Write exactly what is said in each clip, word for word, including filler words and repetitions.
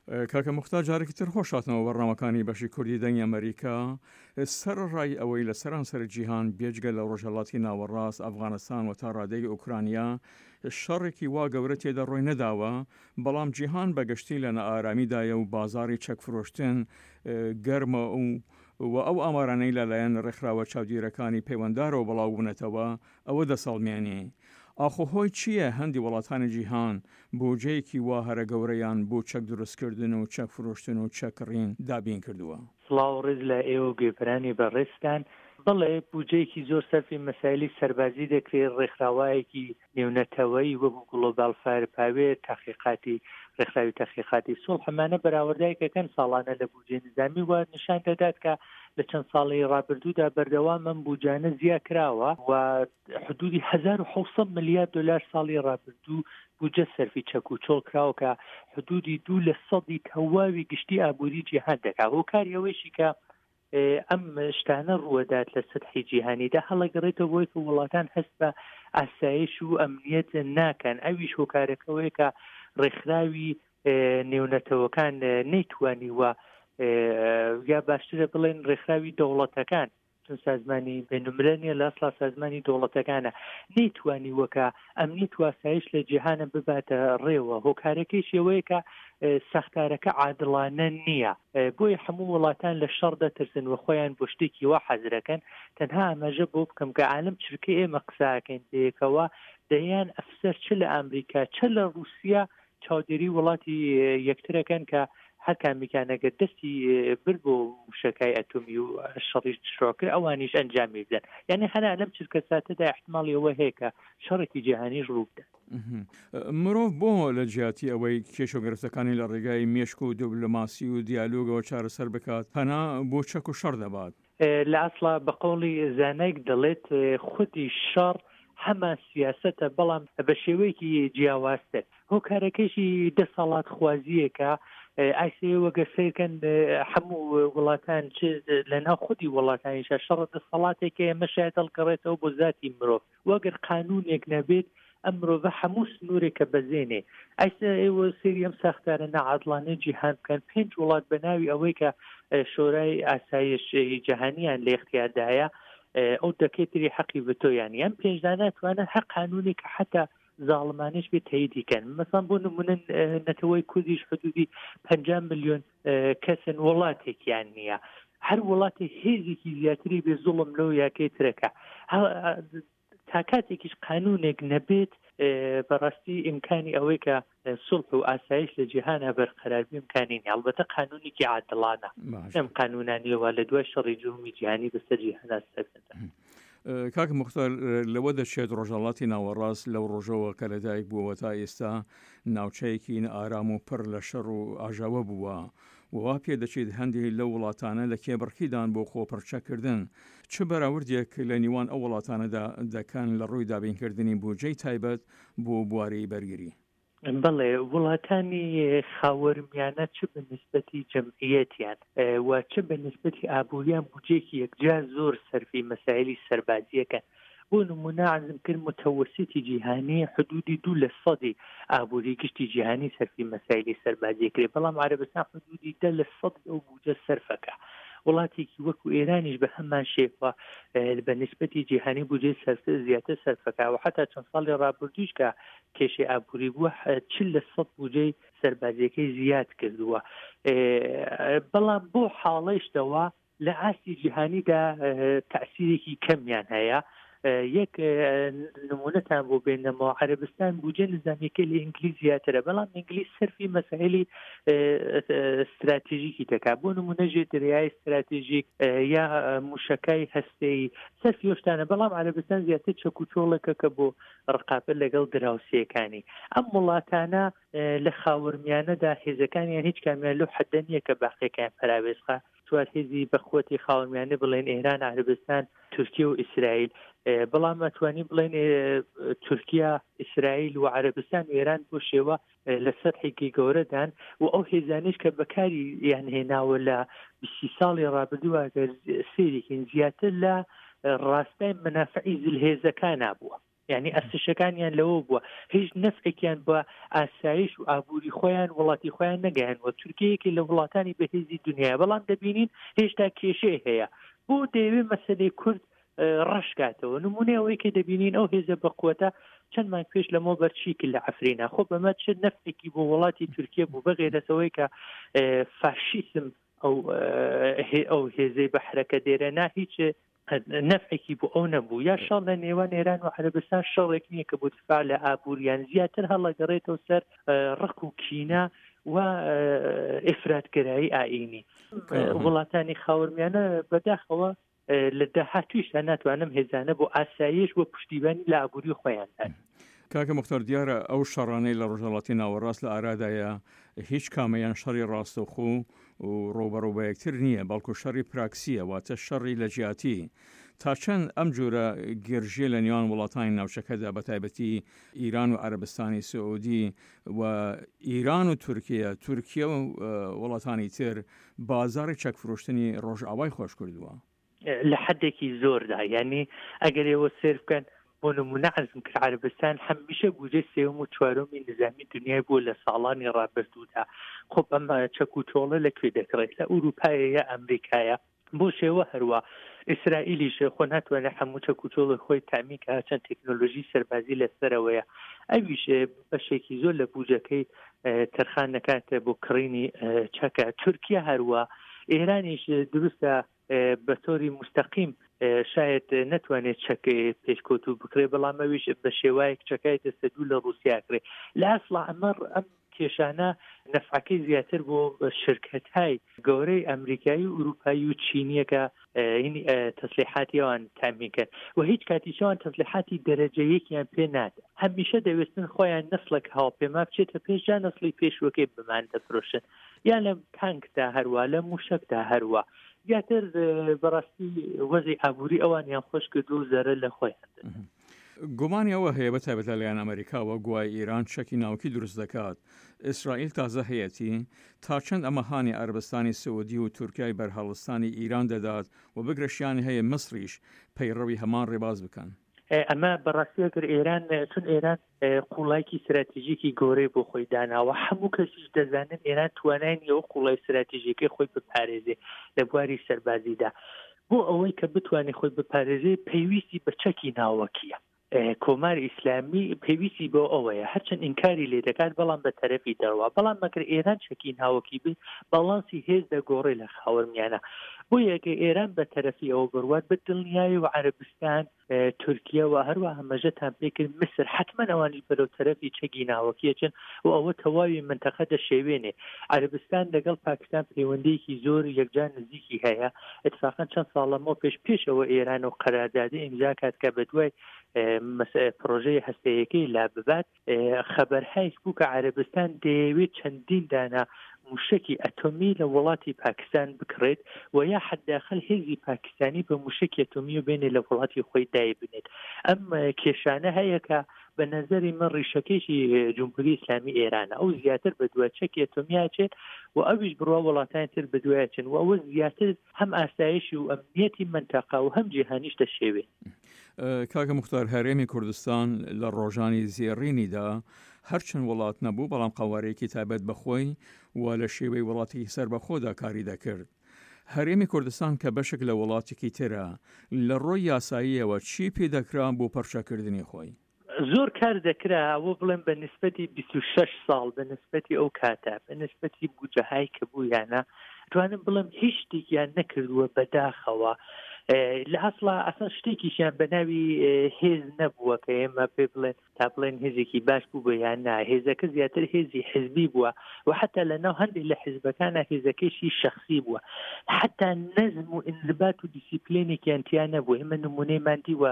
کاکە موختار جارێکی تر خۆش هاتنەوە بەرنامەکانی بەشی کوردی دەنگی ئەمریکا. سەرەڕای ئەوەی لە سەرانسەر جیهان بێجگە لە ڕۆژهەڵاتی ناوەڕاست، ئەفغانستان و تا ڕادەیەک ئۆکرانیا شەڕێکی وا گەورە تێدا ڕووی نەداوە، بەڵام جیهان بە گشتی لە نائارامیدایە و بازاڕی چەک فرۆشتن گەرمە و و ئەو ئامارانەی لەلایەن ڕێکخراوە چاودیرەکانی پەیوەندارەوە بڵاو بوونەتەوە ئەوە دەسەڵمێنێ. ئاخۆ هۆی چییە هەندی وڵاتانی جیهان بوجەیەکی وا هەرە گەورەیان بۆ چەک دروستکردن و چەک فرۆشتن و چەک کڕین دابین کردووە؟ سڵاو و ڕێز لە ئێوە و گوێبرانی بەڕێزتان. بەڵێ بوجەیەکی زۆر سەرفی مەسایلی سەربازی دەکرێ، ڕێکخراوایەکی نێونەتەوەیی وەکوو گڵۆباڵ فایر پاوێر، تەحقیقاتی ڕێکخراوی تەحقیقاتی سوڵح ئەمانە بەراوردایەک ئەکەن ساڵانە لە بوجەی نیزامی و نیشان دەدات کە لە چەند ساڵی ڕابردوودا بەردەوام ئەم بوجانە زیا کراوە و حدودی هەزار و حەوت سەد ملیار دلار ساڵی ڕابردوو بودجە سەرفی چەک و چۆڵ کراوە کە حدودی دوو لە سەدی تەواوی گشتی ئابووری جیهان دەکات. هۆکاری ئەوەیشی کە ئەم شتانە ڕووەدات لە سەتحی جیهانیدا هەڵەگەڕێتەوە بۆی کە وڵاتان هەست بە ئاسایش و ئەمنیەت ناکەن، ئەویش هۆکارەکەوەیە کە ڕێکخراوی نێونەتەوەکان نەیتوانیوە یا باشترە بڵێن ڕێکخراوی دەوڵەتەکان، چون سازمانی بەینولملەل نییە، لە ئەسڵا سازمانی دەوڵەتەکانە، نەیتوانیوە کە ئەمنیەت و ئاسایش لە جیهانە بباتە ڕێوە. هۆکارەکەیش ئەوەیە کە ساختارەکە عادڵانە نییە، بۆیە هەموو وڵاتان لە شەڕ دەترسن و خۆیان بۆ شتێکی وا حەزرەکەن. تەنها ئاماژە بۆ بکەم کە عالم چرکەی ئێمە قساکەین پێیەکەوە دەیان ئەفسەر چ لە ئامریکا چ لە ڕووسیا چاودێری وڵاتی یەکترەکەن کە هەر کامیکان ئەگەر دەستی برد بۆ موشەکای ئەتۆمی و شەڕیش شڕ کرد ئەوانیش ئەنجامی بدەن. یعنی هەنا لەم چرکە ساتەدا احتمالی ئەوە هەیە کە شەڕێکی جیهانیش ڕوو بدات. مرۆڤ بۆ لە جیاتی ئەوەی کێشە و گرفتەکانی لە ڕێگای مێشک و دیبلۆماسی و دیالۆگەوە چارەسەر بکات، پەنا بۆ چەک و شەڕ دەبات؟ لە ئەسڵا بە قەوڵی زانایەک دەڵێت خودی شەڕ هەمان سیاسەتە بەڵام بە شێوەیەکی جیاوازتر. هۆکارەکەیشی دەسەڵاتخوازییەکە. ئایسێ وەگەر سەیرکەن هەموو وڵاتان چ لەناو خودی وڵاتانیشە شەڕە دەسەڵاتێکە ئێمە شاید هەڵگەڕێتەوە بۆ زاتی مرۆڤ و ئەگەر قانونێک نەبێت ئەم مرۆڤە هەموو سنوورێکە بەزێنێ. ئایسا ئێوە سەیری ئەم ساختارە ناعادڵانەی جیهان بکەن، پێنج وڵات بە ناوی ئەوەی کە شۆرای ئاسایش جیهانیان لە اختیاردایە ئەو دەکەی تری حەقی ڤتۆیان ئەم پێنج دانە توانن هەر قانونێک کە حتا زاڵمانیش بێ تەییدی کەن. مەسەڵەن بۆ نمونە نەتەوەی کوردیش حدودی پەنجا ملیۆن کەسن، وڵاتێکیان نییە. هەر وڵاتێک هێزێکی زیاتری بێ زوڵم لەو یاکەی ترەکە. تا کاتێکیش قانونێک نەبێت بەڕاستی ئیمکانی ئەوەی کە سوڵح و ئاسایش لە جیهانە بەرقەرار بێ ئیمکانی نییە. ئەڵبەتە قانونێکی عادڵانە، ئەم قانونانیەوە لە دوای شەڕی دووەمی جیهانی بەسەر جیهانا سەپێنرا. کاک موختار، لەوە دەچێت ڕۆژهەڵاتی ناوەڕاست لەو ڕۆژەوە کە لەدایک بووەوە تا ئێستا ناوچەیەکی نائارام و پڕ لە شەڕ و ئاژاوە بووە و وا پێدەچێت هەندێک لەو وڵاتانە لە کێبڕکیدان بۆ خۆپڕچەککردن. چ بەراوردێک لە نیوان ئەو وڵاتانەدا دەکەن لە ڕووی دابینکردنی بودجەی تایبەت بۆ بواری بەرگری؟ بەڵێ، وڵاتانی خاوەرمیانە چ بە نیسبەتی جەمعیەتیان و چ بە نیسبەتی ئابووریان بودجەیەکی یەکجار زۆر سەرفی مەسایلی سەربازیەکەن. بۆ نموونە عەرزم کرد متەوەسیتی جیهانی حدودی دوو لە سەدی ئابووری گشتی جیهانی سەرفی مەسایلی سەربازیە کرێ، بەڵام عەرەبستان حدودی دە لە سەدی ئەو بودجە سەرفەکە. وڵاتێکی وەکو ئێرانیش بە هەمان شێوە بە نیسبەتی جیهانی بودجەی زیاتر سەرفەکە و حتا چەند ساڵی ڕابردوویش کە کێشەی ئابووری بووە چل لە سەد بودجەی سەربازیەکەی زیاد کردووە. بەڵام بۆ حاڵەیشتەوە لە ئاستی جیهانیدا تەئسیرێکی کەمیان هەیە. یەک نمونەتان بۆ بێنەمەوە، عەرەبستان بودجە نظامیەکەی لە ئینگلیز زیاترە، بەڵام ئینگلیز سەرفی مەسائلی ستراتیژیکی دەکات، بۆ نمونە ژێر دەریای ستراتیژیک یا موشەکای هەستەیی سەرفی شتانە، بەڵام عەرەبستان زیاتر چەک و چۆڵێکە کە بۆ ڕقابەت لەگەڵ دراوسێکانی. ئەم وڵاتانە لە خاوەرمیانەدا هێزەکانیان هیچ کامیان لەو حەدە نییە کە باقیەکەیان پەراوێزخا. چوار هێزی بەقوەتی خاوەرمیانە بڵێن ئێران، عەرەبستان، تورکیا و ئیسرائیل، بەڵام ئەتوانین بڵێن تورکیا، ئیسرائیل و عەرەبستان و ئێران بۆ شێوە لە سەتحێکی گەورەدان و ئەو هێزانیش کە بەکاری یان هێناوە لە بیست ساڵی ڕابردووە ئەگەر سەیرێکین زیاتر لە ڕاستای مەنافعی زلهێزەکانا بووە. یعنی ئەرتشەکانیان لەوە بووە هیچ نەفعێکیان بە ئاسایش و ئابووری خۆیان وڵاتی خۆیان نەگەیانوە. تورکیە یەکێک لە وڵاتانی بەهێزی دنیاە، بەڵام دەبینین هێشتا کێشەی هەیە. بۆ دەیەوێت مەسەلەی کورد ڕەش کاتەوە. نمونەی ئەوەی کە دەبینین ئەو هێزە بەقوەتە چەند مانگ پێش لەمەوە بەر چی کرد لە عەفرینا، خۆ بەمە چ نەفعێکی بۆ وڵاتی تورکیە بوو بەغێرەتەوەی کە فاشیسم ئەو ئەو هێزەی بە حرەکە دێرە نا هیچ نەفعێکی بۆ ئەو نەبوو. یا شەڕ لە نێوان ئێران و عەرەبستان شەڕێک نییە کە بۆ دفاع لە ئابووریان، زیاتر هەڵەگەڕێتەوە سەر ڕق و کینە و ئیفرادگەرایی ئایینی. وڵاتانی خاوەرمیانە بەداخەوە لە داهاتوویشدا ناتوانم هێزانە بۆ ئاسایش و پشتیوانی لە ئابووری خۆیان دان. کاکە موختار، دیارە ئەو شەڕانەی لە ڕۆژهەڵاتی ناوەڕاست لە ئارادایە هیچ کامەیان شەڕی ڕاستەوخۆ و ڕووبەڕوو بە یەکتر نییە، بەڵکو شەڕی پراکسیە، واتە شەڕی لە جیاتی. تا چەند ئەم جۆرە گرژیە لە نێوان وڵاتانی ناوچەکەدا بە تایبەتی ئیران و عەرەبستانی سعودی و ئیران و تورکیا، تورکیا و وڵاتانی تر بازاڕی چەک فرۆشتنی ڕۆژئاوای خۆش کردووە؟ لە حدێکی زۆردا. یعنی ئەگەر ئێوە سێر بکەن بۆ نمونە عەرزم کرد عەرەبستان هەمیشە بودجەی سێوم و چوارەمی نظامی دنیای بووە لە ساڵانی ڕابردوودا. خب ئەمە چەک و چۆڵە لەکوێ دەکڕێت؟ لە ئەوروپایە یا ئەمریکایە؟ بۆ شێوە هەروە ئیسرائیلیش خۆ ناتوانێت هەموو چەک و چۆڵی خۆی تامین کە چەند تەکنۆلۆژی سەربازی لەسەرەوەیە، ئەویش بەشێکی زۆر لە بودجەکەی تەرخان نەکاتە بۆ کڕینی چەکە. تورکیا هەروە، ئێرانیش دروستە بە تۆری مستەقیم شاید نەتوانێت چەک پێشکەوت و بکرێ، بەڵام ئەویش بە شێوایەک چەکای دەستە دوو لە ڕووسیا کرێ. لە ئەسڵا ئەمە ئەم کێشانە نەفعەکەی زیاتر بۆ شرکەتهای گەورەی ئەمریکایی و ئەوروپایی و چینیەکە هینی تەسلیحاتی ئەوان تامین کرد و هیچ کاتیشەوان تەسلیحاتی دەرەجە یەکیان پێ نادا. هەمیشە دەوێستن خۆیان نسلێک هاوپێما بچێتە پێش، جا نسلی پێشوەکەی بمان دەفرۆشن، یا لە تانکدا هەروە، لە موشەکدا هەروە. زیاتر بەڕاستی وەزی ئابووری ئەوانیان خۆش کرد و زەرەر لە خۆیان دەدەن. گومانی ئەوە هەیە بە تایبەت لەلایەن ئەمریکاوە گوای ئێران چەکی ناوکی دروست دەکات، ئیسرائیل تازە هەیەتی، تا چەند ئەمە هانی عەرەبستانی سعودی و تورکیای بەرهەڵستانی ئیران دەدات و بگرەشیانی هەیە مصریش پەیڕەوی هەمان ڕێباز بکەن؟ ئەمە بەڕاستی ئەگەر ئێران، چون ئێران قوڵایکی استراتژیکی گەورەی بۆ خۆی داناوە، هەموو کەسیش دەزانن ئێران توانای نییە ئەو قوڵای استراتژیکەی خۆی بپارێزێ لە بواری سەربازیدا. بۆ ئەوەی کە بتوانێت خۆی بپارێزێ پێویستی بە چەکی ناوەکیە. کۆماری ئیسلامی پێویستی بۆ ئەوەیە، هەرچەند ئینکاری لێ دەکات بەڵام بە تەرەفی دەرەوە. بەڵام مەگەر ئێران چەکی ناوەکی بێ باڵانسی هێز دەگۆڕێ لە خاوەرمیانە. بۆ یەکە ئێران بە تەرەفی ئەوە بڕوات بە دڵنیایی و عەرەبستان، تورکیا و هەروەها هەمەژەتان پێکرد میسر، حتمما ئەوانیش بەرەو تەرەفی چەکی ناوەکیەچن و ئەوە تەواوی منتەقە دەشێوێنێ. عەرەبستان لەگەڵ پاکستان پەیوەندیەکی زۆر یەکجار نزیکی هەیە. اتفاقا چەند ساڵەمەوە پێش پێشەوە ئێران و قەراردادی ئیمزا کات کە بە دوای پرۆژەی هەستەیەکەی لا ببات، خەبەرهایش بوو کە عەرەبستان دەیەوێت چەندین دانە موشکی ئەتۆمی لە وڵاتی پاکستان بکڕێت و یا حداخل هێزی پاکستانی بە موشکی ئەتۆمی و بێنێ لە وڵاتی خۆی دای بنێت. ئەم کێشانە هەیە کە بە نظری من ڕیشەکێکی جمهوری ئیسلامی ئێرانە، ئەو زیاتر بە دوای چەکی ئەتۆمی ئاچێت و ئەویش بڕوا وڵاتانی تر بە دوای ئاچن و ئەوە زیاتر هەم ئاسایشی و ئەمنیەتی منتەقە و هەم جیهانیش دەشێوێت. کاکە موختار، هەرێمی کوردستان لە ڕۆژانی زێڕینیدا هەرچەند وڵات نەبوو، بەڵام قەوارەیەکی تایبەت بەخۆی و لە شێوەی وڵاتێکی سەربەخۆدا کاری دەکرد. هەرێمی کوردستان کە بەشێک لە وڵاتێکی ترە، لە ڕۆی یاساییەوە چی پێ دەکرا بۆ پەرچەکردنی خۆی؟ زۆر کار دەکرا، ئەوە بڵێم بە نسبەتی بیست و شەش ساڵ، بە نسبەتی ئەو کاتە، بە نسبەتی بودجەهای کە بوویانە، توانم بڵێم هیچ شتێکیان نەکردووە بەداخەوە. لە ئەسڵا ئەسڵ شتێکیشیان بە ناوی هێز نەبووە کە ئێمە پێ بڵێن تا بڵێن هێزێکی باش بوو بە یان نا. هێزەکە زیاتر هێزی حزبی بووە و حتا لە ناو هەندێک لە حزبەکانە هێزەکەشی شەخسی بووە. حتا نەزم و ئینضبات و دیسیپلینێکیان تیا نەبوو. ئێمە نمونەیمان دیوە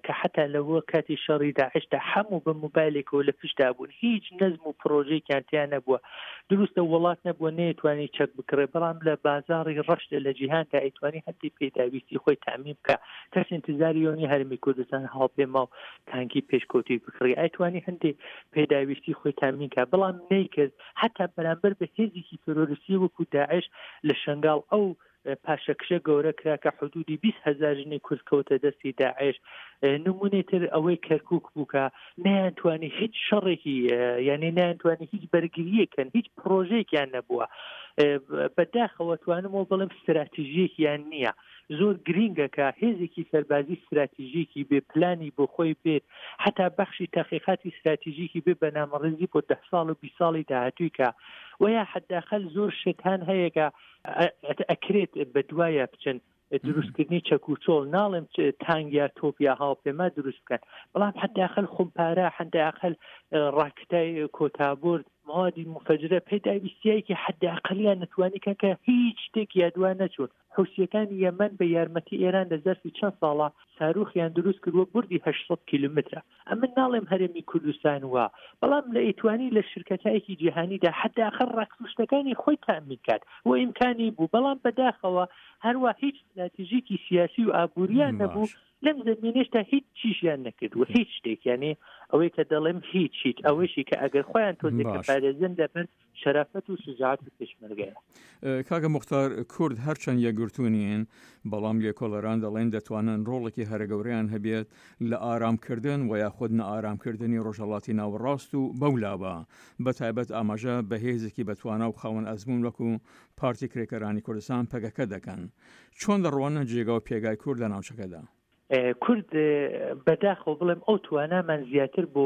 کە حتا لەوە کاتی شەڕی داعشدا هەموو بە مۆبایلێکەوە لە پشتدا بوون، هیچ نەزم و پرۆژەیەکیان تیا نەبووە. دروستە وڵات نەبووە نەیتوانی چەک بکڕێ، بەڵام لە بازاڕی ڕەشدا لە جیهاندا ئەیتوانی هەندێک پێداویستی پێداویستی خۆی تامین بکە. کەس انتظاری ئەوە نیە هەرێمی کوردستان هاوپێما و تانکی پێشکەوتوی بکڕی، ئەیتوانی هەندێک پێداویستی خۆی تامین کە، بەڵام نەیکرد. حتا بەرامبەر بە هێزێکی تێرۆریستی وەکو داعش لە شنگال ئەو پاشەکشە گەورە کرا کە حدودی بیست هەزار ژنی کورد کەوتە دەستی داعش. نمونەی تر ئەوەی کەرکک بوو کە نەیانتوانی هیچ شەڕێکی، یعنی نەیانتوانی هیچ بەرگریەکەن، هیچ پرۆژەیەکیان نەبووە. بەداخەوە توانمەوە بڵێم استراتیژیەکیان نییە. زۆر گرینگە کە هێزێکی سەربازی استراتیژیکی بێ پلانی بۆ خۆی بێت، حتا بەخشی تحقیقاتی استراتیژیکی بێ بەنامەڕێزی بۆ ده ساڵ و بیست ساڵی داهاتووی کە ویا حداقل زۆر شتان هەیە کە ئەکرێت بە دوایە بچن. دروستکردنی چەک و چۆڵ، ناڵێم تانگ یا تۆپ یا هاوپەیما دروست بکەن، بەڵام حداقل خمپارە، حداقل ڕاکتای کۆتابورد، موادی مفەجرە، پێداویستیایەکی حداقلیان نتوانی کە کە هیچ شتێک یادوان نەچوون. حوسیەکانی یەمەن بە یارمەتی ئێران لە زەرفی چەند ساڵە ساروخیان دروست کردووە، بردی هەشت سەد کیلومترە. ئەمن ناڵێم هەرێمی کوردستان وا، بەڵام لە ئیتوانی لە شرکەتایەکی جیهانیدا حداقل ڕاکسوشتەکانی خۆی تامین کات و ئیمکانی بوو، بەڵام بەداخەوە هەروە هیچ استراتیژیکی سیاسی و ئابووریان نەبوو. لەم زمینەشتا هیچ چیشیان نەکردووە، هیچ شتێک. یعنی ئەوەی کە دەڵێم هیچ هیچ، ئەوەیشی کە ئەگەر خۆیان تۆزێک پارێزن لەبەر شەرافەت و شجاعەتی پێشمەرگەیە. کاکە موختار، کورد هەرچەند یەکگرتوو نین، بەڵام لێکۆڵەران دەڵێن دەتوانن ڕۆڵێکی هەرە گەورەیان هەبێت لە ئارامکردن و یاخود نەئارامکردنی ڕۆژهەڵاتی ناوەڕاست و بەولاوە، بە تایبەت ئاماژە بە هێزێکی بەتوانا و خاوەن ئەزموون وەکو پارتی کرێکارانی کوردستان پەکەکە دەکەن. چۆن دەڕواننە جێگا و پێگای کورد لە ناوچەکەدا؟ کورد بەداخەوە بڵێم ئەو توانامان زیاتر بۆ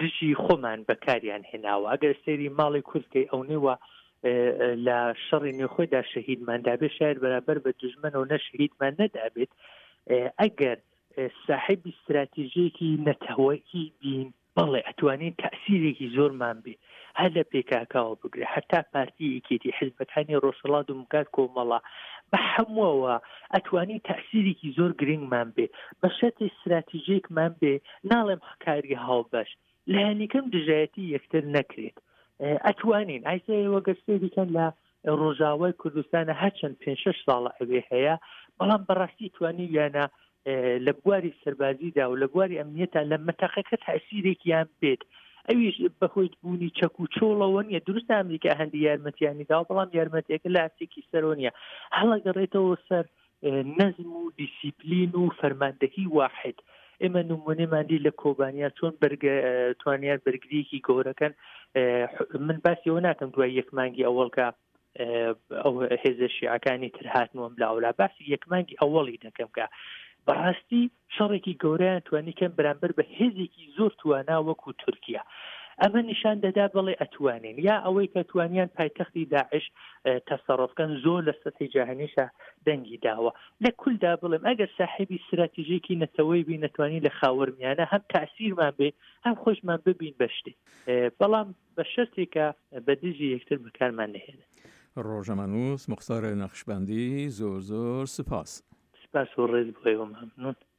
دژی خۆمان بەکاریان هێناوە. ئەگەر سەیری ماڵی کورد کەی ئەو نێوە لە شەڕی نێوخۆیدا شەهیدمان دابێت، شاید بەرابەر بە دژمنەوە نە شەهیدمان نەدابێت. ئەگەر ساحێبی استراتیژیەکی نەتەوەیی بین، بەڵێ ئەتوانین تەئسیرێکی زۆرمان بێ، هەر لە پێکاکاوە بگرێ حتا پارتی یەکێتی حزبەکانی ڕۆژهەڵات و مکات کۆمەڵە بە هەمووەوە ئەتوانین تەئسیرێکی زۆر گرنگمان بێ، بە شەرتی استراتیژێکمان بێ، ناڵێم کاری هاوبەش، لایەنیکەم دژایەتی یەکتر نەکرێت. ئەتوانین ئایسەوە گەر سەیریکەن لە ڕۆژاوای کوردستانە هەرچەند پێنج شەش ساڵە ئەوێ هەیە، بەڵام بەڕاستی توانیویانە لە بواری سەربازیدا و لە بواری ئەمنیەتا لە مەتەقەکە تەئسیرێکیان بێت. ئەویش بەهۆی بوونی چەک و چۆڵەوە نییە. دروستە ئەمریکا هەندی یارمەتیانی داوە، بەڵام یارمەتیەکە لە ئاستێکی سەرەوە نییە، هەڵەگەڕێتەوە سەر نەزم و دیسیپلین و فەرماندەهی واحد. ئێمە نمونەمان دی لە کۆبانیا چۆن توانیان بەرگریەکی گەورەکەن. من باسی ئەوە ناکەم دوای یەک مانگی ئەوەڵکە ئەو هێزە شیعەکانی تر هاتنەوە لاولا، باسی یەک مانگی ئەوەڵی دەکەم کە بەڕاستی شەڕێکی گەورەیان توانی کەم بەرامبەر بە هێزێکی زۆر توانا وەکو تورکیا. ئەمە نیشان دەدا بەڵێ ئەتوانین، یا ئەوەی کە توانیان پایتەختی داعش تەسەڕفکەن زۆر لە سەطحی جیهانیشا دەنگی داوە. لە کولدا بڵێم ئەگەر ساحێبی استراتیژێکی نەتەوەی بین، نەتوانین لە خاوەرمیانە هەم تەئسیرمان بێ هەم خۆشمان ببین بە شتێ، بەڵام بە شەرتێکە بە دژی یەکتر بەکارمان نەهێنن. ڕۆژنامەنووس موختار نەخشبەندی، زۆر زۆر سپاس. سپاس و ڕێز بۆ ئێوە، مەمنون.